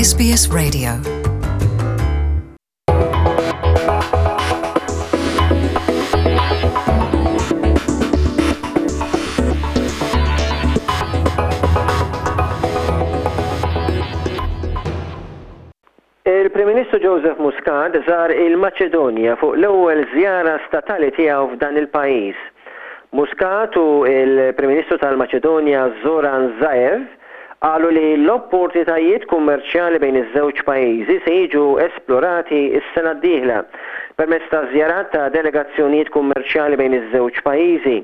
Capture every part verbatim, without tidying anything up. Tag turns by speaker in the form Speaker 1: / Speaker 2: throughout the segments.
Speaker 1: S B S Radio.
Speaker 2: Il-Prim Ministru Joseph Muscat żar il-Maċedonja fuq l-ewwel żjara statali tiegħu f'dan il-pajjiż. Muscat u il-Prim Ministru tal-Maċedonja Zoran Zaev qalu li l-opportunitajiet kummerċjali bejn iż-żewġ pajjiżi se jiġu esplorati s-sena d-dieħla permezz ta' żjarat ta' delegazzjonijiet kummerċjali bejn iż-żewġ pajjiżi.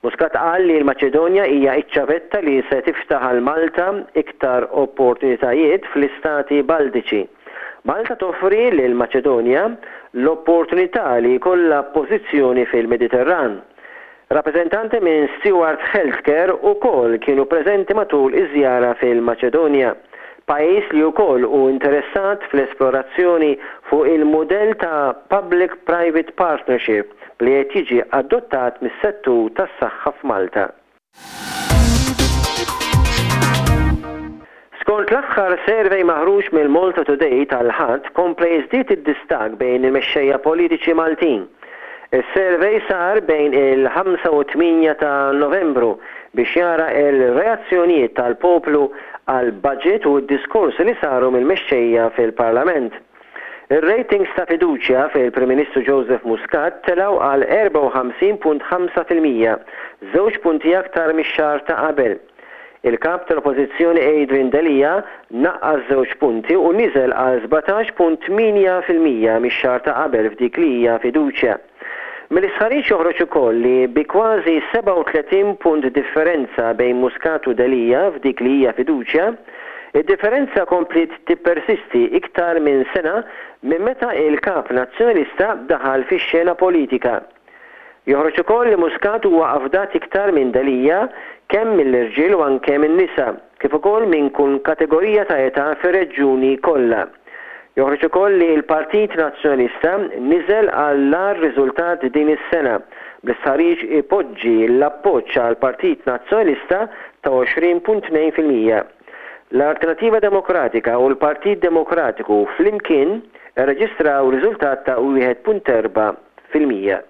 Speaker 2: Muscat qal li l-Maċedonja hija iċ-ċavetta li se tiftaħ għal Malta iktar opportunitajiet fl-istati Baltiċi. Malta toffri lil Maċedonja l-opportunità li jkollha pożizzjoni fil-Mediterran. Rappreżentanti minn Steward Healthcare ukoll kienu preżenti matul iż-żjara fil-Maċedonja, pajjiż li wkoll hu interessat fl-esplorazzjoni fuq il-mudell ta' Public-Private Partnership li qed jiġi adottat mis-settur tas-saħħa f'Malta. Skont l-aħħar survey maħruġ mill-Malta Today tal-Ħadd, kompla jiżdied id-distakk bejn il-mexxejja politiċi Maltin. Is-survey sar bejn il-ħamsa u tmienja ta' Novembru biex jara il-reazzjonijiet tal-poplu għal budget u d-diskorsi li saru mill-mexxejja fil-Parlament. Ir-ratings ta' fiduċja fil-Prim Ministru Joseph Muscat telgħu għal erbgħa u ħamsin punt ħamsa fil-mija, żewġ punti aktar mix-xahar ta' qabel. Il-kap tal-Oppożizzjoni Adrian Delia naqqas żewġ punti u niżel għal sbatax punt tmienja fil-mija mix-xahar ta' qabel f'dik li hija fiduċja. Mill-istħarriġ joħroġ ukoll li bi kważi sebgħa u tletin punt differenza bejn Muscat u Delia f'dik li hija fiduċja, id-differenza kompliet tippersisti iktar minn sena minn meta il-kap nazzjonalista daħal fix-xena politika. Joħroġ ukoll li Muscat huwa afdat iktar minn Delia kemm mill-irġiel u anke minn nisa, kif ukoll minn kull kategorija ta' età fir-reġjuni kollha. Joħroġ ukoll li l-Partit Nazzjonalista niżel għall-agħar riżultat din is-sena, bl-istħarriġ ipoġġi l-appoġġ għal Partit Nazzjonalista ta' għoxrin punt tnejn fil-mija. L-Alternativa Demokratika u l-Partit Demokratiku flimkien irreġistraw riżultat ta' wieħed punt erbgħa fil-mija.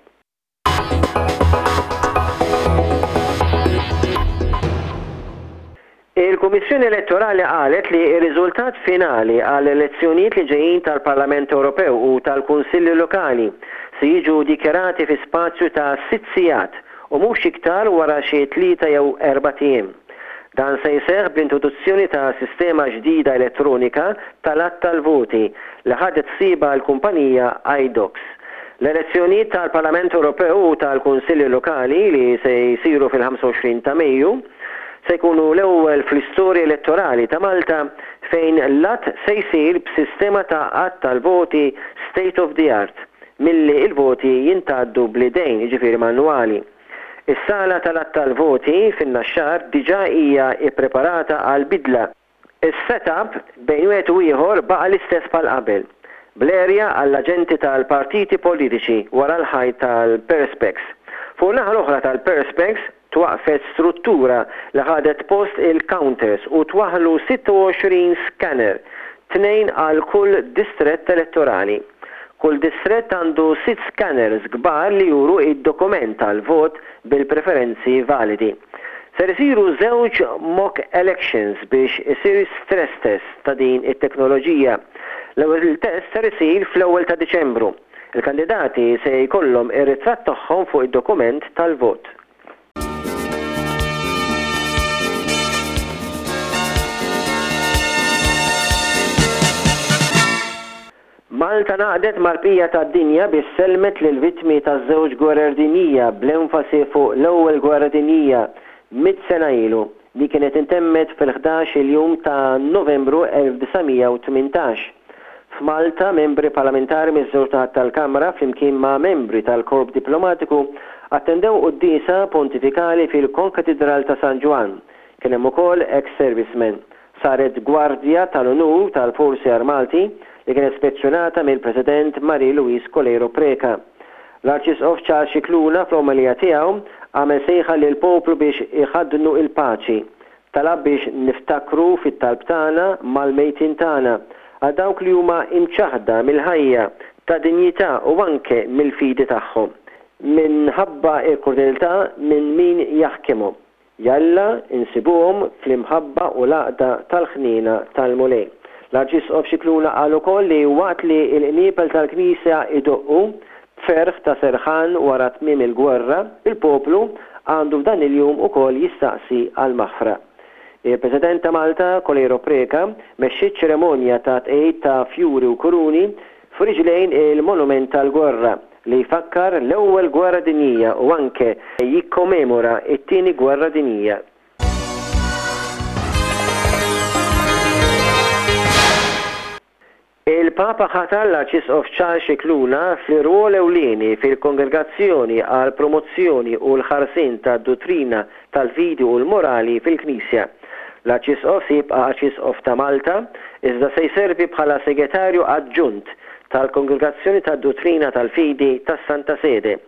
Speaker 2: Il-Kummissjoni Elettorali qalet li r-riżultat finali għall elezzjonijiet li ġejjin tal-Parlament Ewropew u tal-Kunsilli Lokali se jiġu dikjarati fi spazju ta' sitt sigħat u mhux iktar wara xi tlieta jew erbat ijiem. Dan se jseħħ bl-introduzzjoni ta' sistema ġdida elettronika tal-għadd tal-voti li ħadet ħsiebha l-kumpanija Idox. L-elezzjonijiet tal-Parlament Ewropew u tal-Kunsilli Lokali li se jsiru fil-ħamsa u għoxrin ta' Mejju se jkunu l-ewwel fl-istorja elettorali ta' Malta fejn l-għadd se jsir b'sistema ta' għadd tal-voti state of the art milli il-voti jintgħaddu bl-idejn, jiġifieri manwali. Is-sala tal-għadd tal-voti fin-Naxxar diġà hija ippreparata għal bidla. Is-setup bejn wieħed u ieħor baqa' l-istess bħal qabel, bl-erja għall-aġenti tal-partiti politiċi wara l-ħajt tal-Perspex. Fuq naħa l-oħra tal-Perspex twaqfet struttura li ħadet post il-counters u twaħlu sitta u għoxrin scanner, tnejn għal kull distrett elettorali. Kull distrett għandu sitt scanners kbar li juru id-dokument tal-vot bil-preferenzi validi. Ser isiru żewġ mock elections biex isir stress test ta' din it-teknoloġija. L-ewwel test ser isir fl-ewwel ta' Diċembru. Il-kandidati se jkollhom ir-ritratt tagħhom fuq id-dokument tal-vot. Malta ngħaqdet mal-bqija tad-dinja biex sellmet lil vittmi taż-żewġ gwerer dinjija, bl-enfasi fuq l-ewwel gwerra dinjija mitt sena ilu li kienet intemmet fil-ħdax il-jum ta' Novembru elf disa' mija u tmintax. F'Malta, membri parlamentari miż-żewġ naħat tal-Kamra flimkien ma' membri tal-Korp Diplomatiku attendew quddiesa pontifikali fil-Konkatedral ta' San Ġwann. Kien hemm ukoll ex-servicemen. Saret gwardja tal-unur tal-Forzi Armati li kienet spezzjonata mill-President Marie Louise Coleiro Preca. L-Arċisqof Charles Scicluna fl-omelija tiegħu għamel sejħa lil poplu biex iħaddnu il-paċi. Talab biex niftakru fit-talb tagħna mal-mejtin tagħna, għal dawk li huma imċaħda mill-ħajja, ta' dinjità u anke mill-fidi tagħhom, minħabba l-krudeltà minn min jaħkimhom. Jalla insibuhom fl-imħabba u l-għaqda tal-ħniena tal-Mulej. L-Arċisqof Scicluna qal ukoll li waqt li l-qniepel tal-Knisja idoqqu b'ferħ ta' serħan wara tmiem il-gwerra, il-poplu għandu f'dan il-jum ukoll jistaqsi għal-maħfra. Il-President ta' Malta, Coleiro Preca, mexxiet ċerimonja ta' tqegħid ta' fjuri u kuruni f'riġlejn il-Monument tal-Gwerra li jfakkar l-Ewwel Gwerra Dinjija u anke jikkommemora t-Tieni Gwerra Dinjija. Il-Papa ħatar l-Arċisqof Charles Scicluna fl-irwol ewlieni fil-Kongregazzjoni għall-Promozzjoni u l-Ħarsien tad-Duttrina tal-Fidi u l-Morali fil-Knisja. L-Arċisqof se jibqa' Arċisqof ta' Malta, iżda se jservi bħala Segretarju Aġġunt tal-Kongregazzjoni tad-Duttrina tal-Fidi tas-Santa Sede.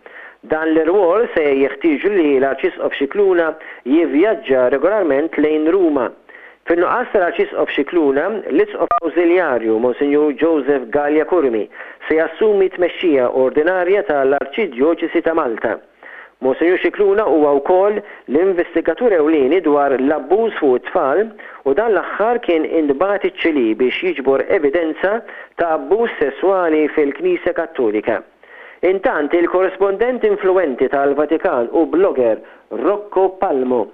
Speaker 2: Dan l-irwol se jeħtieġu li l-Arċisqof Scicluna jivvjaġġa regolarment lejn Ruma. Fin-nuqqas tal-Arċisqof Scicluna, l-Isqof Awżiljarju Monsinjur Joseph Galea Curmi se jassumi t-tmexxija ordinarja tal-Arċidjoċesi ta' Malta. Monsinjur Scicluna huwa wkoll l-investigatur ewlieni dwar l-abbuż fuq it-tfal u dan l-aħħar kien intbagħat iċ-Ċilì biex jiġbor evidenza ta' abbuż sesswali fil-Knisja Kattolika. Intant, il-korrispondent influwenti tal-Vatikan u blogger Rocco Palmo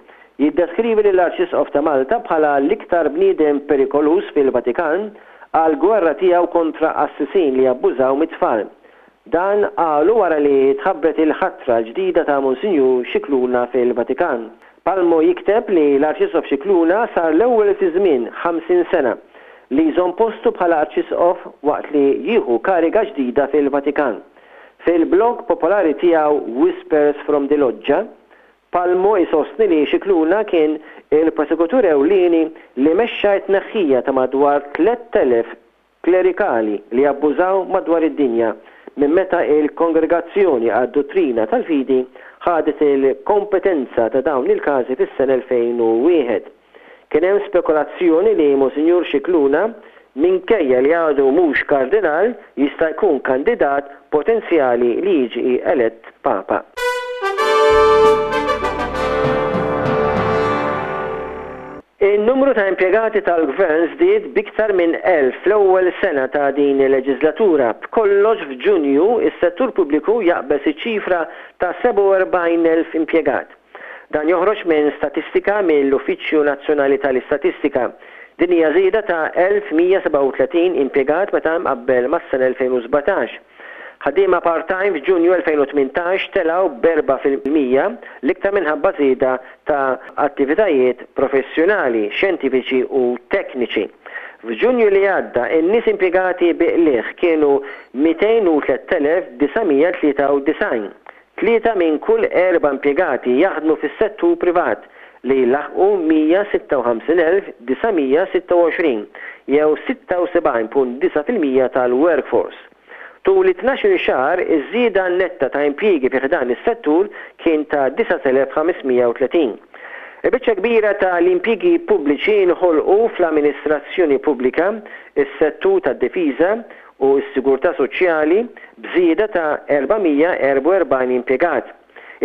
Speaker 2: jiddeskrivi lill-Arċisqof ta' Malta bħala l-iktar bniedem perikoluż fil-Vatikan għall-gwerra tiegħu kontra qassisin li jabbużaw mit-tfal. Dan qalu wara li tħabbret il-ħatra l-ġdida ta' Monsinjur Scicluna fil-Vatikan. Palmo jikteb li l-Arċisqof Scicluna sar l-ewwel fi żmien ħamsin sena li jżomm postu bħala Arċisqof waqt li jieħu kariga ġdida fil-Vatikan. Fil-blog popolari tiegħu Whispers from the Loggia, Palmo jsostni li Scicluna kien il-prosekutur ewlieni li mexxa t-tneħħija ta' madwar tlett elef klerikali li abbużaw madwar id-dinja minn meta il-Kongregazzjoni għad-Duttrina tal-Fidi ħadet il-kompetenza ta' dawn il-każi fis-sena elfejn u wieħed. Kien hemm spekulazzjoni li Monsinjur Scicluna, minkejja li għadu mhux kardinal, jista' jkun kandidat potenzjali li jiġi elett Papa. In-numru ta' impjegati tal-gvern żdied b'iktar minn elf fl-ewwel sena ta' din il-leġislatura. B'kollox f'Ġunju is-settur pubbliku jaqbeż iċ-ċifra ta' sebgħa u erbgħin elf impjegat. Dan joħroġ minn statistika mill-Uffiċċju Nazzjonali tal-Istatistika. Din hija żieda ta' elf mija sebgħa u tletin impjegat meta mqabbel mas-sena elfejn u sbatax. Ħaddiema part-time f'Ġunju elfejn u tmintax telgħu b'erbgħa fil-mija l-iktar minħabba żieda ta' attivitajiet professjonali, xjentifiċi u tekniċi. F'Ġunju li għadda, in-nies impjegati bi qligħ kienu mitejn u tlett elef disa' mija tlieta u disgħin. Tlieta minn kull erba' impjegati jaħdmu fis-settur privat li jlaħqu mija sitta u ħamsin elf disa' mija sitta u għoxrin jew sitta u sebgħin punt disa' fil-mija tal-workforce. Tul it-tnax-il xahar, iż-żieda netta ta' impjiegi fi ħdan is-settur kien ta' disat elef ħames mija u tletin. Il-biċċa kbira ta' l-impjiegi pubbliċi nħolqu fl-amministrazzjoni pubblika, is-settur tad-difiża u s-sigurtà soċjali b'żieda ta' erba' mija erba' u erbgħin impjegat.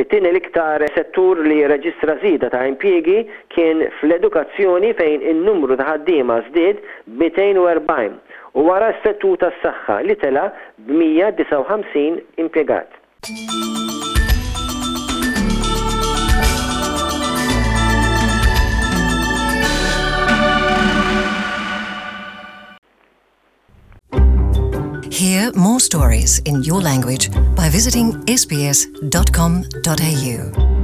Speaker 2: It-tieni l-iktar settur li reġistra żieda ta' impjiegi kien fl-edukazzjoni fejn in-numru ta' ħaddiema żdied b'mitejn u erbgħin u wara s-settur tas-saħħa li tela' b'mija disgħa u ħamsin impjegat.
Speaker 1: Hear more stories in your language by visiting S B S dot com dot A U.